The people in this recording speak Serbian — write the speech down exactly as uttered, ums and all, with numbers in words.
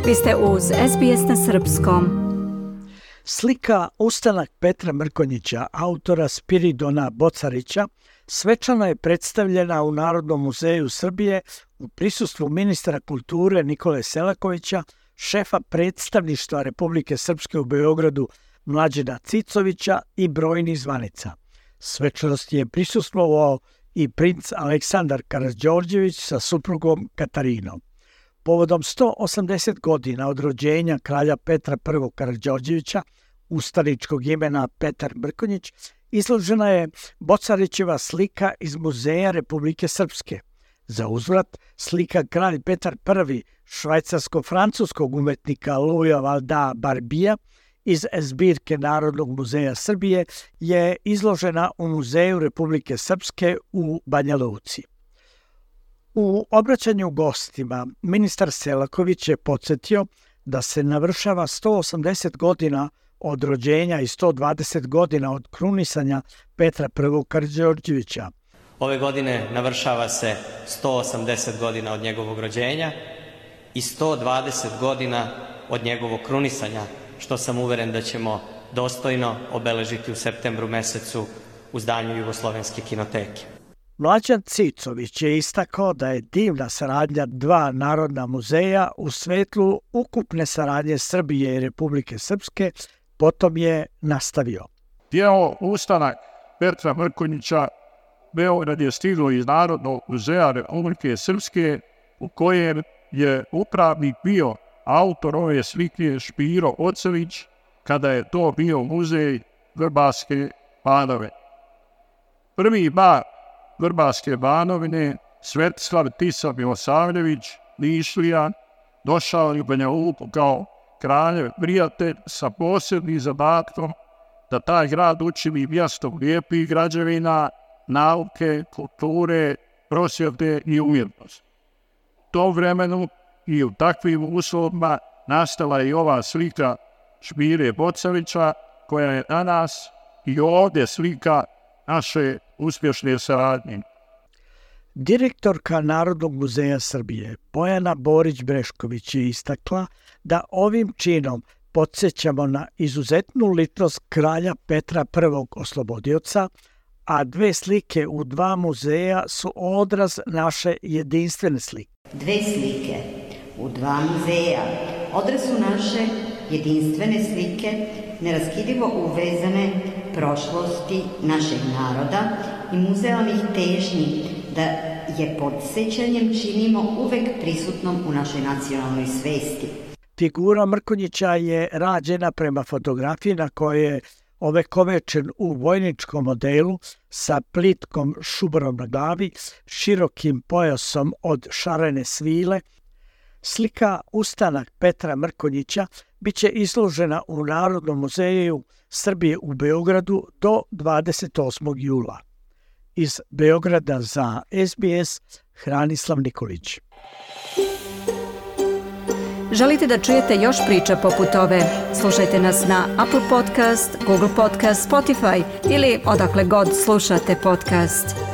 Vi ste uz S B S na srpskom. Slika Ustanak Petra Mrkonjića, autora Spiridona Bocarića, svečano je predstavljena u Narodnom muzeju Srbije u prisustvu ministra kulture Nikole Selakovića, šefa predstavništva Republike Srpske u Beogradu Mlađena Cicovića i brojnih zvanica. Svečanosti je prisustvovao i princ Aleksandar Karađorđević sa suprugom Katarinom. Povodom sto osamdeset godina od rođenja kralja Petra I. Karađorđevića, ustaničkog imena Petar Mrkonjić, izložena je Bocarićeva slika iz Muzeja Republike Srpske. Za uzvrat, slika kralj Petar I. švajcarsko-francuskog umetnika Louisa Valda Barbija iz zbirke Narodnog muzeja Srbije je izložena u Muzeju Republike Srpske u Banja Luci. U obraćanju gostima, ministar Selaković je podsjetio da se navršava sto osamdeset godina od rođenja i sto dvadeset godina od krunisanja Petra I. Karađorđevića. Ove godine navršava se sto osamdeset godina od njegovog rođenja i sto dvadeset godina od njegovog krunisanja, što sam uveren da ćemo dostojno obeležiti u septembru mesecu u zdanju Jugoslovenske kinoteke. Mlađan Cicović je istakao da je divna saradnja dva narodna muzeja u svetlu ukupne saradnje Srbije i Republike Srpske, potom je nastavio. Djelo Ustanak Petra Mrkonjića Beograd je stiglo iz Narodnog muzeja Republike Srpske, u kojem je upravnik bio autor ove slike Špiro Ocević, kada je to bio muzej Vrbarske Banovine. Prvi bar Vrbarske Banovine, Svetislav Tisa Milosavljević, Nišlija, došao je u Banja Luku kao kraljev prijatelj sa posebnim zadatkom da taj grad učini mjestom lijepih građevina, nauke, kulture, prosvjete i umjetnosti. U tom vremenu i u takvim uslovima nastala je i ova slika Špire Bocarića, koja je danas i ovdje slika naše uspješne saradnje. Direktorka Narodnog muzeja Srbije Bojana Borić-Brešković je istakla da ovim činom podsjećamo na izuzetnu ličnost kralja Petra I. Oslobodioca, a dve slike u dva muzeja su odraz naše jedinstvene slike. Dve slike u dva muzeja odraz su naše jedinstvene slike, neraskidivo uvezane prošlosti našeg naroda i muzealnih težnji da je podsjećanjem činimo uvek prisutnom u našoj nacionalnoj svesti. Figura Mrkonjića je rađena prema fotografiji na kojoj je ovekovečen u vojničkom modelu sa plitkom šubarom na glavi, širokim pojasom od šarene svile. Slika Ustanak Petra Mrkonjića biće izložena u Narodnom muzeju Srbije u Beogradu do dvadeset osmog jula. Iz Beograda za S B S, Hranislav Nikolić. Želite da čujete još priča poput ove? Slušajte nas na Apple Podcast, Google Podcast, Spotify ili odakle god slušate podcast.